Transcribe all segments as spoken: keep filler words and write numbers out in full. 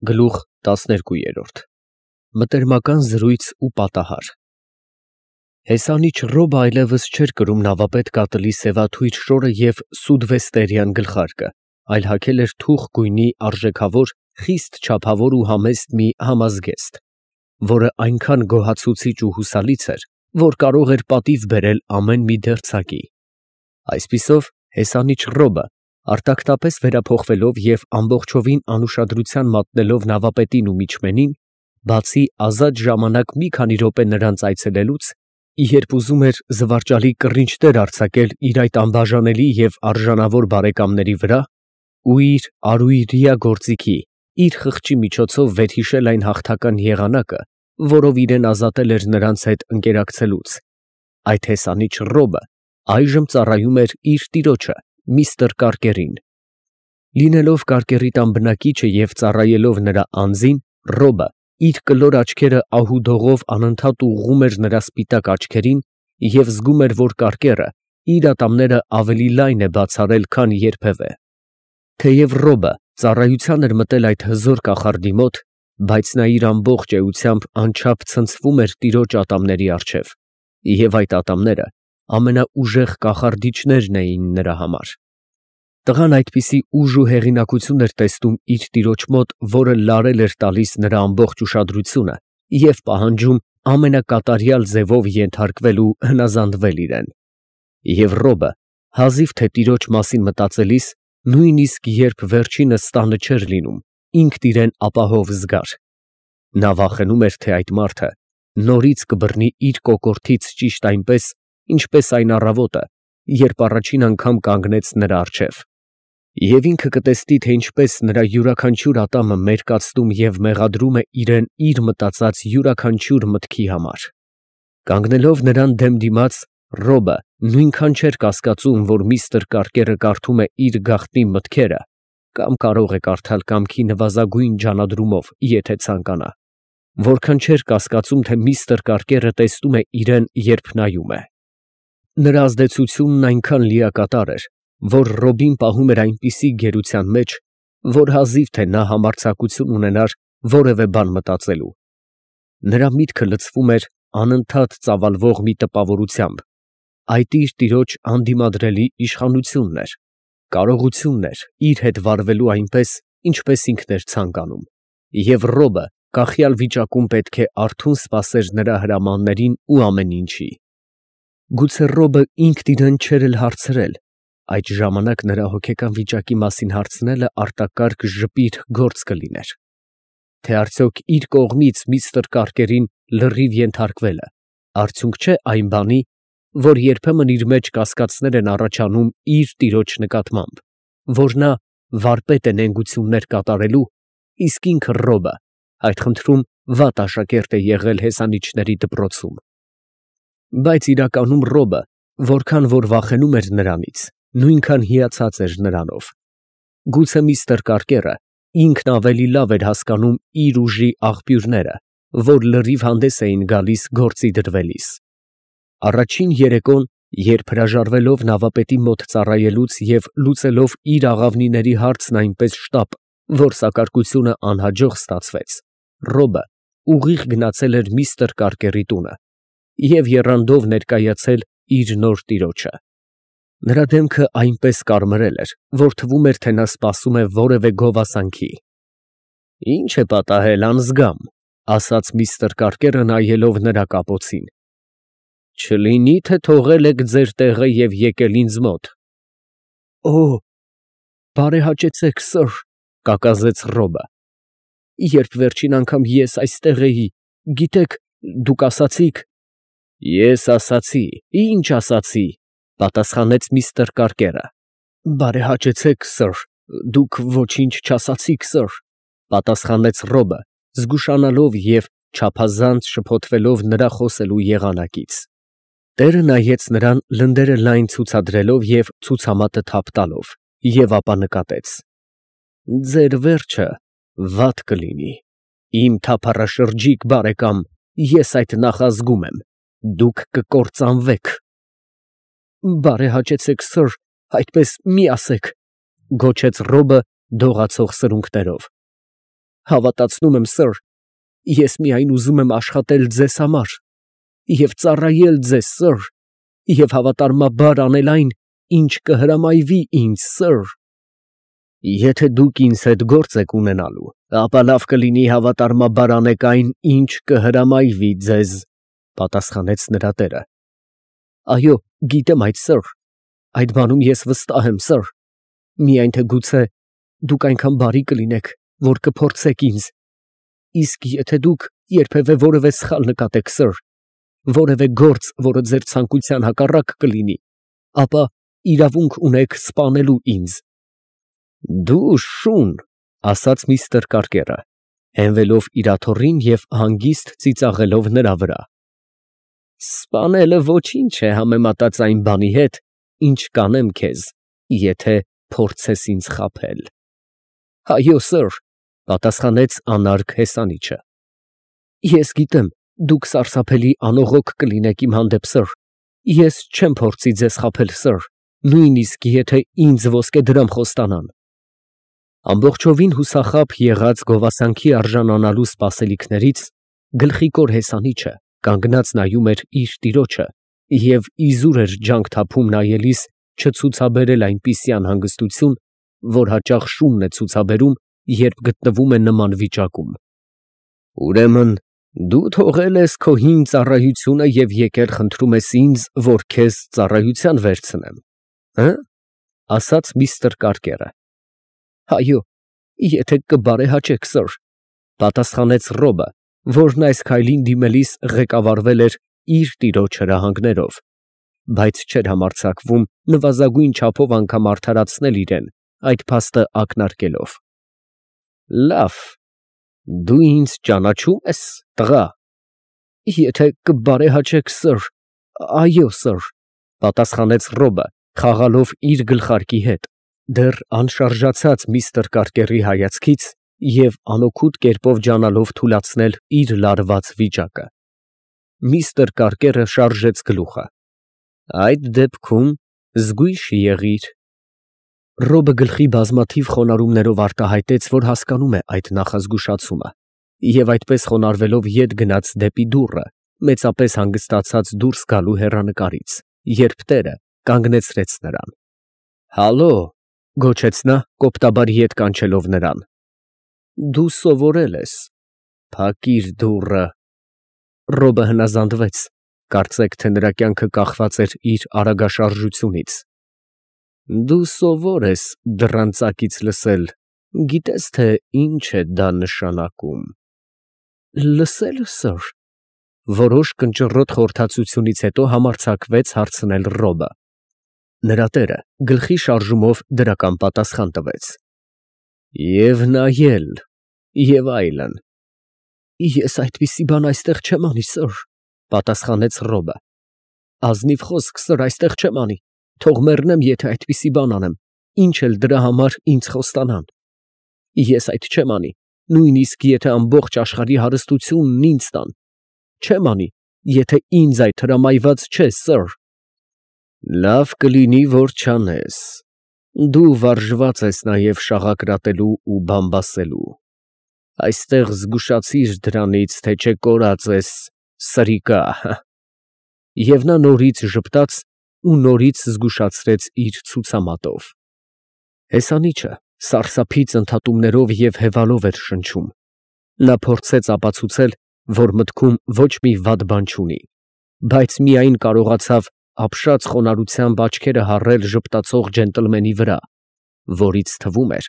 Գլուխ տասներկու։ Մտերմական զրույց ու պատահար։ Հեսանիչ Ռոբը այլևս չէր կրում նավապետ կատլի սևաթույր շորը և սուդվեստերյան գլխարկը, այլ հագել էր թուխ գույնի արժեքավոր, խիստ չափավոր ու համեստ մի համազգեստ, որը այնքան գոհացուցիչ ու հուսալից էր, որ կարող էր պատիվ բերել ամեն մի դերձակի։ Այսպիսով, հեսանիչ Ռոբը, արտակնապես վերափոխվելով և ամբողջովին անուշադրության մատնելով նավապետին ու միջմենին, բացի ազատ ժամանակ մի քանի րոպե նրանց այցելելուց, երբ ուզում էր զվարճալի կռինչներ արձակել իր այդ անբաժանելի և արժանավոր բարեկամների վրա, ու իր արույրյա գործիքի, իր խղճի միջոցով վերհիշել այն հաղթական եղանակը, որով իրեն ազատել էր նրանց հետ ընկերակցելուց, այդ հեսանիչ Ռոբը այժմ ծառայում էր իր տիրոջը, միստր Կարկերին։ Լինելով Կարկերի տան բնակիչը և ծառայելով նրա անձին, Ռոբը իր կլոր աչքերը ահուդողով անընդհատ ուղղում էր նրա սպիտակ աչքերին և զգում էր, որ Կարկերը իր ատամները ավելի լայն է բացառել, քան երբևէ։ Թեև Ռոբը ծառայության էր մտել այդ հզոր կախարդի մոտ, բայց նա իր ամբողջ էությամբ անչափ ցնցվում էր տիրոջ ատամների առջև, և այդ ատամները ամենաուժեղ կախարդիչներն էին նրա համար։ Տղան այդպիսի ուժ ու հեղինակություն էր տեսնում իր տիրոջ մոտ, որը լարել էր տալիս նրա ամբողջ ուշադրությունը և պահանջում ամենակատարյալ ձևով ենթարկվել ու հնազանդվել իրեն։ Եվ Ռոբը, հազիվ թե տիրոջ մասին մտածելիս, նույնիսկ երբ վերջինս տանը չէր լինում, ինքն իրեն ապահով զգար։ Նա վախենում էր, թե այդ մարդը նորից կբռնի իր կոկորդից ճիշտ այնպես, ինչպես այն առավոտը, երբ առաջին անգամ կանգնեց նրա առջև, և ինքը կտեսնի, թե ինչպես նրա յուրաքանչյուր ատամը մերկացնում և մեղադրում է իրեն իր մտածած յուրաքանչյուր մտքի համար։ Կանգնելով նրան դեմ դիմաց, Ռոբը նույնքան չէր կասկածում, որ միստր Կարկերը կարդում է իր գաղտնի մտքերը կամ կարող է կարդալ կամքի նվազագույն ջանադրումով, եթե ցանկանա, որքան չէր կասկածում, թե միստր Կարկերը տեսնում է իրեն, երբ նայում է։ Նրա ազդեցությունն այնքան լիակատար էր, որ Ռոբին պահում էր այնպիսի գերության մեջ, որ հազիվ թե նա համարձակություն ունենար որևէ բան մտածելու։ Նրա միտքը լցվում էր անընդհատ ծավալվող մի տպավորությամբ. այդ իր տիրոջ անդիմադրելի իշխանությունն էր, կարողությունն էր իր հետ վարվելու այնպես, ինչպես ինքն էր ցանկանում, և Ռոբը կախյալ վիճակում պետք է արթուն սպասեր նրա հրամաններին ու ամեն ինչի։ Գուցե Ռոբը ինքն իրեն չէր էլ հարցրել, այդ ժամանակ նրա հոգեկան վիճակի մասին հարցնելը արտակարգ ժպիտ գործ կլիներ, թե արդյոք իր կողմից միստր Կարկերին լրիվ ենթարկվելը արդյունք չէ այն բանի, որ երբեմն իր մեջ կասկածներ են առաջանում իր տիրոջ նկատմամբ, որ նա վարպետ է նենգություններ կատարելու, իսկ ինքը Ռոբը այդ խնդրում վատ աշակերտ է եղել հեսանիչների դպրոցում։ Բայց իրականում Ռոբը, որքան որ վախենում էր նրանից, նույնքան հիացած էր նրանով։ Գուցե միստր Կարկերը ինքն ավելի լավ էր հասկանում իր ուժի աղբյուրները, որ լրիվ հանդես էին գալիս գործի դրվելիս։ Առաջին երեկոն, երբ հրաժարվելով նավապետի մոտ ծառայելուց և լուծելով իր աղավնիների հարցն այնպես շտապ, որ սակարկությունը անհաջող ստացվեց, Ռոբը ուղիղ գնացել էր միստր Կարկերի տունը և եռանդով ներկայացել իր նոր տիրոջը։ Նրա դեմքը այնպես կարմրել էր, որ թվում էր, թե նա սպասում է որևէ գովասանքի։ ֊ Ի՞նչ է պատահել, անզգամ, ֊ ասաց միստր Կարկերը, նայելով նրա կապոցին։ ֊ Չլինի՞ թե թողել եք ձեր տեղը և եկել ինձ մոտ։ ֊ Օ՜, բարեհաճեցեք, սըր, ֊ կակազեց Ռոբը։ Երբ վերջին անգամ ես այստեղ էի, գիտեք, դուք ասացիք… ֊ Ես ասացի, ի՞նչ ասացի, ֊ պատասխանեց միստր Կարկերը։ ֊ Բարեհաճեցեք, սըր, դուք ոչինչ չասացիք, սըր, ֊ պատասխանեց Ռոբը, զգուշանալով և չափազանց շփոթվելով նրա խոսելու եղանակից։ Տերը նայեց նրան լնդերը լայն ցուցադրելով և ցուցամատը թափ տալով, և ապա նկատեց. ֊ Ձեր վերջը վատ կլինի, իմ թափառաշրջիկ բարեկամ, ես այդ նախազգում եմ, դուք կկործանվեք։ ֊ Բարեհաճեցեք, սըր, այդպես մի ասեք, ֊ գոչեց Ռոբը դողացող սրունքներով։ Հավատացնում եմ, սըր, ես միայն ուզում եմ աշխատել ձեզ համար և ծառայել ձեզ, սըր, և հավատարմաբար անել այն, ինչ կհրամայվի ինձ, սըր։ Եթե դուք ինձ հետ գործ եք ունենալու, ապա լավ կլինի հավատարմաբար անեք այն, ինչ կհրամայվի ձեզ, պատասխանեց նրա տերը։ Այո, գիտեմ այդ, սըր, այդ բանում ես վստահ եմ, սըր, միայն թե գուցե դուք այնքան բարի կլինեք, որ կփորձեք ինձ, իսկ եթե դուք երբևէ որևէ սխալ նկատեք, սըր, որևէ գործ, որը ձեր ցանկության հակառակ կլինի, ապա իրավունք ունեք սպանելու ինձ։ Դու շուն, ասաց միստր Կարկերը, հենվելով իր աթոռին և հանգիստ ծիծաղելով նրա վրա։ Սպանելը ոչինչ է համեմատած այն բանի հետ, ինչ կանեմ քեզ, եթե փորձես ինձ խաբել։ Այո, սըր, պատասխանեց անարգ հեսանիչը։ Ես գիտեմ, դուք սարսափելի անողոք կլինեք իմ հանդեպ, սըր, ես չեմ փորձի ձեզ խաբել, սըր, նույնիսկ եթե ինձ ոսկեդրամ խոստանան։ Ամբողջովին հուսախաբ եղած գովասանքի արժանանալու սպասելիքներից գլխիկոր հեսանիչը կանգնած նայում էր իր տիրոջը և իզուր էր ջանք թափում նայելիս չցուցաբերել այնպիսի անհանգստություն, որ հաճախ շունն է ցուցաբերում, երբ գտնվում է նման վիճակում։ Ուրեմն դու թողել ես քո հին ծառայությունը և եկել խնդրում ես ինձ, որ քեզ ծառայության վերցնեմ, հը՞, ասաց միստր Կարկերը։ Այո, եթե կբարեհաճեք, սըր, պատասխանեց Ռոբը, որն այս քայլին դիմելիս ղեկավարվել էր իր տիրոջ հրահանգներով, բայց չէր համարձակվում նվազագույն չափով անգամ արդարացնել իրեն, այդ փաստը ակնարկելով։ Լավ, դու ինձ ճանաչո՞ւմ ես, տղա։ Եթե կբարեհաճեք, սըր, այո, սըր, պատասխանեց Ռոբը, խաղալով իր գլխարկի հետ, դեռ անշարժացած միստր Կարկերի հայացքից և անօգուտ կերպով ջանալով թուլացնել իր լարված վիճակը։ Միստր Կարկերը շարժեց գլուխը։ Այդ դեպքում զգույշ եղիր։ Ռոբը գլխի բազմաթիվ խոնարհումներով արտահայտեց, որ հասկանում է այդ նախազգուշացումը, և այդպես խոնարհվելով ետ գնաց դեպի դուռը, մեծապես հանգստացած դուրս գալու հեռանկարից, երբ տերը կանգնեցրեց նրան։ Հալո, գոչեց նա, կոպտաբար ետ կանչելով նրան։ Դու սովորել ես, փակիր դուռը։ Ռոբը հնազանդվեց, կարծեք թե նրա կյանքը կախված էր իր արագաշարժությունից։ Դու սովոր ես դռան ծակից լսել, գիտես թե ինչ է դա նշանակում։ Լսել, սըր, որոշ կնճռոտ խորհրդածությունից հետո համարձակվեց հարցնել Ռոբը։ Նրա տերը գլխի շարժումով դրական պատասխան տվեց։ Եվ նայել, և այլն։ Ես այդպիսի բան այստեղ չեմ անի, սըր, պատասխանեց Ռոբը։ Ազնիվ խոսք, սըր, այստեղ չեմ անի, թող մեռնեմ, եթե այդպիսի բան անեմ, ինչ էլ դրա համար ինձ խոստանան։ Ես այդ չեմ անի, նույնիսկ եթե ամբողջ աշխարհի հարստությունն ինձ տան, չեմ անի, եթե ինձ այդ հրամայված չէ, սըր։ Լավ կլինի, որ չանես։ Դու վարժված ես նաև շաղակրատելու ու բամբասելու։ Այստեղ զգուշացիր դրանից, թե չէ կորած ես, սրիկա։ Եվ նա նորից ժպտաց ու նորից զգուշացրեց իր ցուցամատով։ Հեսանիչը սարսափից ընդհատումներով և հևալով էր շնչում։ Նա փորձեց ապացուցել, որ մտքում ոչ մի վատ բան չունի, բայց միայն կարողացավ ապշած խոնարհությամբ աչքերը հառել ժպտացող ջենտլմենի վրա, որից թվում էր,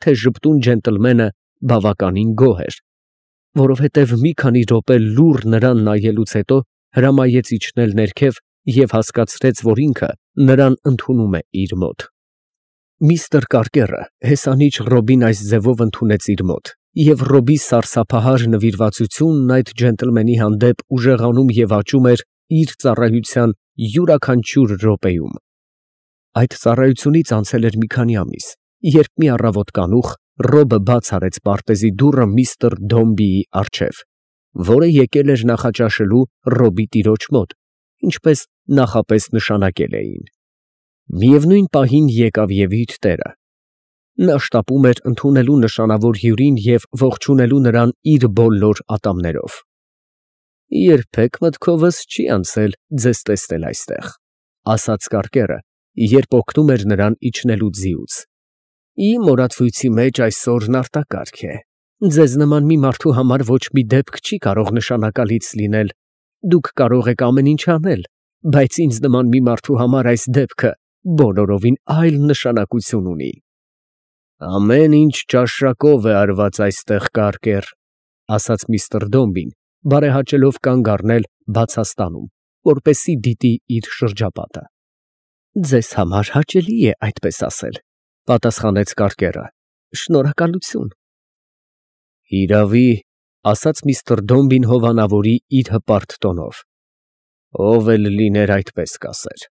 թե ժպտուն ջենտլմենը բավականին գոհ էր, որովհետև մի քանի րոպե լուռ նրան նայելուց հետո հրամայեց իջնել ներքև և հասկացրեց, որ ինքը նրան ընդունում է իր մոտ։ Միստր Կարկերը հեսանիչ Ռոբին այս ձևով ընդունեց իր մոտ, և Ռոբի սարսափահար նվիրվածությունն այդ ջենտլմենի հանդեպ ուժեղանում և աճում էր իր ծառայության յուրաքանչյուր րոպեում։ Այդ ծառայությունից անցել էր մի քանի ամիս, երբ մի առավոտ կանուխ Ռոբը բաց արեց պարտեզի դուռը միստր Դոմբիի առջև, որը եկել էր նախաճաշելու Ռոբի տիրոջ մոտ, ինչպես նախապես նշանակել էին։ Միևնույն պահին եկավ և իր տերը։ Նա շտապում էր ընդունելու նշանավոր հյուրին և ողջունելու նրան իր բոլոր ատամներով։ «Երբեք մտքովս չի անցել ձեզ տեսնել այստեղ», ֊ ասաց կարկերը, երբ օգնում էր նրան իջնելու ձիուց։ «Իմ օրացույցի մեջ այսօրն արտակարգ է։ Ձեզ նման մի մարդու համար ոչ մի դեպք չի կարող նշանակալից լինել։ Դուք կարող եք ամեն ինչ անել, բայց ինձ նման մի մարդու համար այս դեպքը բոլորովին այլ նշանակություն ունի»։ «Ամեն ինչ ճաշակով է արված այստեղ, կարկեր», ֊ ասաց միստր Դոմբին, բարեհաճելով կանգ առնել բացաստանում, որպեսզի դիտի իր շրջապատը։ «Ձեզ համար հաճելի է այդպես ասել», ֊ պատասխանեց կարկերը։ «Շնորհակալություն»։ «Հիրավի», ֊ ասաց միստր Դոմբին հովանավորի իր հպարտ տոնով։ «Ով էլ լիներ այդպես կասեր։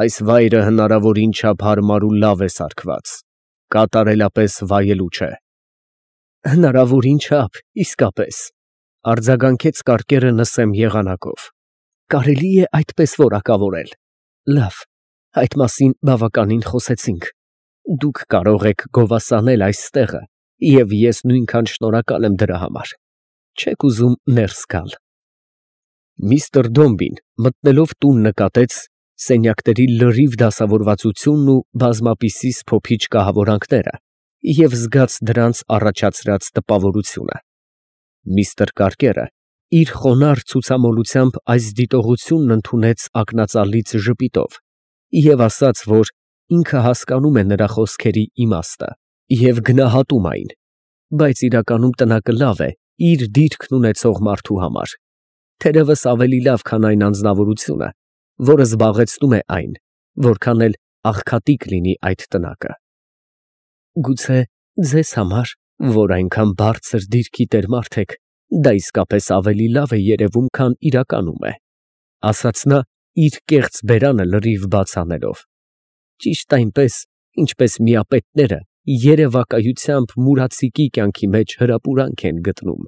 Այս վայրը հնարավորին չափ հարմար ու լավ է սարքված, կատարելապես վայելու չէ»։ «Հնարավորին չափ, իսկապես», ֊ արձագանքեց կարկերը նսեմ եղանակով։ «Կարելի է այդպես որակավորել։ Լավ, այդ մասին բավականին խոսեցինք։ Դուք կարող եք գովասանել այս տեղը, և ես նույնքան շնորհակալ եմ դրա համար։ Չե՞ք ուզում ներս գալ»։ Միստր Դոմբին մտնելով տուն նկատեց սենյակների լրիվ դասավորվածությունն ու բազմապիսի սփոփիչ կահավորանքները և զգաց դրանց առաջացրած տպավորությունը։ Միստր Կարկերը իր խոնարհ ցուցամոլությամբ այս դիտողությունն ընդունեց ակնածալից ժպիտով և ասաց, որ ինքը հասկանում է նրա խոսքերի իմաստը և գնահատում այն, բայց իրականում տնակը լավ է իր դիրքն ունեցող մարդու համար, թերևս ավելի լավ, քան այն անձնավորությունը, որը զբաղեցնում է այն, որքան էլ աղքատիկ լինի այդ տնակը։ «Գուցե ձեզ համար, որ այնքան բարձր դիրքի տեր մարդ եք, դա իսկապես ավելի լավ է երևում, քան իրականում է», ֊ ասաց նա, իր կեղծ բերանը լրիվ բաց անելով։ «Ճիշտ այնպես, ինչպես միապետները երևակայությամբ մուրացիկի կյանքի մեջ հրապուրանք են գտնում»։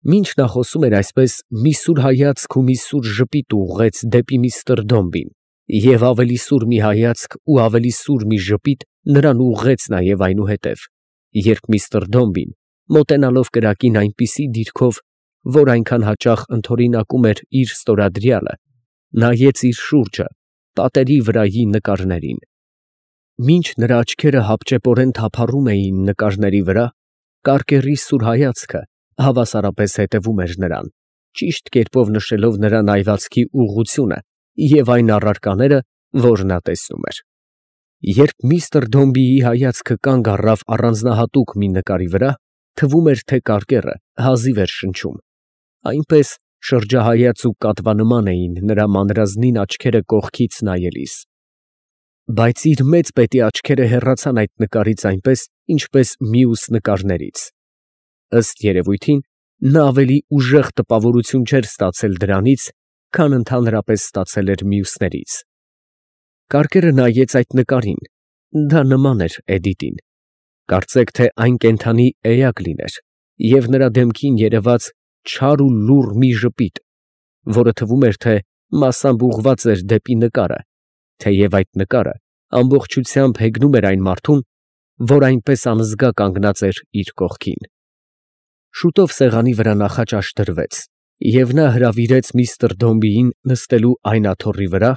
Մինչ նա խոսում էր այսպես, մի սուր հայացք ու մի սուր ժպիտ ուղղեց դեպի միստր Դոմբին, և ավելի սուր մի հայացք ու ավելի սուր մի ժպիտ նրան ուղղեց նաև այնուհետև, երբ միստր Դոմբին, մոտենալով կրակին այնպիսի դիրքով, որ այնքան հաճախ ընդօրինակում էր իր ստորադրյալը, նայեց իր շուրջը պատերի վրայի նկարներին։ Մինչ նրա աչքերը հապճեպորեն թափառում էին նկարների վրա, կարկերի սուր հայացքը հավասարապես հետևում էր նրան, ճիշտ կերպով նշելով նրա նայվածքի ուղղությունը և այն առարկաները, որ նա տեսնում էր։ Երբ միստր Դոմբիի հայացքը կանգ առավ առանձնահատուկ մի նկարի վրա, թվում էր, թե կարկերը հազիվ էր շնչում, այնպես շրջահայաց ու կատվանման էին նրա մանրազնին աչքերը կողքից նայելիս։ Բայց իր մեծ պետի աչքերը հեռացան այդ նկարից այնպես, ինչպես մյուս նկարներից։ Ըստ երևույթին, նա ավելի ուժեղ տպավորություն չէր ստացել դրանից, քան ընդհանրապես ստացել էր մյուսներից։ Կարկերը նայեց այդ նկարին, դա նման էր Էդիտին։ Կարծեք, թե այն կենդանի էակ լիներ, և նրա դեմքին երևաց չար ու լուռ մի ժպիտ, որը թվում էր, թե մասամբ ուղղված էր դեպի նկարը, թեև այդ նկարը ամբողջությամբ հեգնում էր այն մարդուն, որ այնպես անզգա կանգնած էր իր կողքին։ Շուտով սեղանի վրա նախաճաշ դրվեց, և նա հրավիրեց միստր Դոմբիին նստելու այն աթոռի վրա,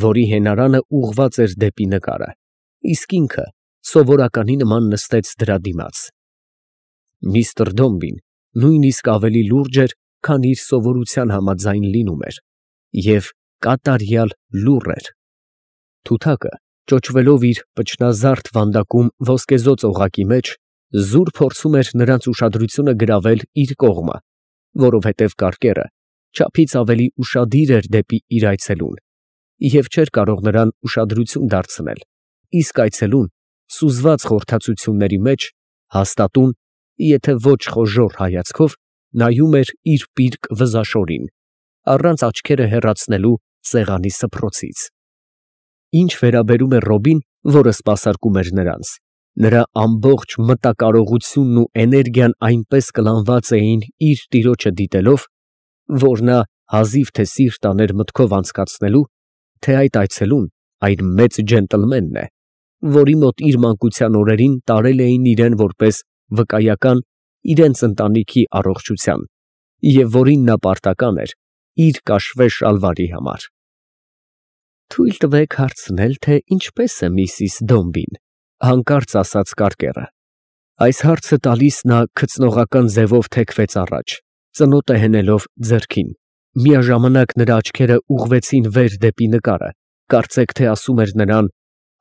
որի հենարանը ուղղված էր դեպի նկարը, իսկ ինքը սովորականի նման նստեց դրա դիմաց։ Միստր Դոմբին նույնիսկ ավելի լուրջ էր, քան իր սովորության համաձայն լինում էր, և կատարյալ լուռ էր։ Թութակը, ճոճվելով իր պճնազարդ վանդակում ոսկեզօծ օղակի մեջ, զուր փորձում էր նրանց ուշադրությունը գրավել իր կողմը, որովհետև կարկերը չափից ավելի ուշադիր էր դեպի իր այցելուն և չէր կարող նրան ուշադրություն դարձնել, իսկ այցելուն, սուզված խորհրդածությունների մեջ, հաստատուն, եթե ոչ խոժոռ հայացքով, նայում էր իր պիրկ վզաշորին, առանց աչքերը հեռացնելու սեղանի սփռոցից։ Ինչ վերաբերում էր Ռոբին, որը սպասարկում էր նրանց, նրա ամբողջ մտակարողությունն ու էներգիան այնպես կլանված էին իր տիրոջը դիտելով, որ նա հազիվ թե սիրտ աներ մտքով անցկացնելու, թե այդ այցելուն այն մեծ ջենտլմենն է, որի մոտ իր մանկության օրերին տարել էին իրան որպես վկայական իրենց ընտանիքի առողջության և որին նա պարտական էր իր կաշվե շալվարի համար։ ֊ Թույլ տվեք հարցնել, թե ինչպե՞ս է միսիս Դոմբին, ֊ հանկարծ ասաց կարկերը։ Այս հարցը տալիս նա քծնողական ձևով թեքվեց առաջ, ծնոտը հենելով ձեռքին, միաժամանակ նրա աչքերը ուղղվեցին վեր դեպի նկարը, կարծեք թե ասում էր նրան.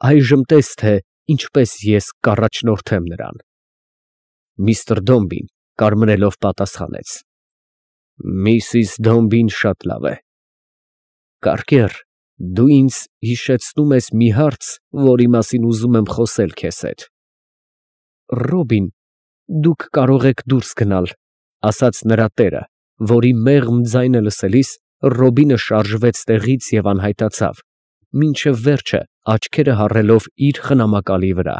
«Այժմ տես, թե ինչպես ես կառաջնորդեմ նրան»։ Միսթր Դոմբին կարմրելով պատասխանեց. «Միսիս Դոմբին շատ լավ է։ Կարկեր, դու ինձ հիշեցնում ես մի հարց, որի մասին ուզում եմ խոսել քեզ հետ»։ «Ռոբին, դուք կարող եք դուրս գնալ», ֊ ասաց նրա տերը, որի մեղմ ձայնը լսելիս Ռոբինը շարժվեց տեղից և անհայտացավ, մինչև վերջը աչքերը հառելով իր խնամակալի վրա։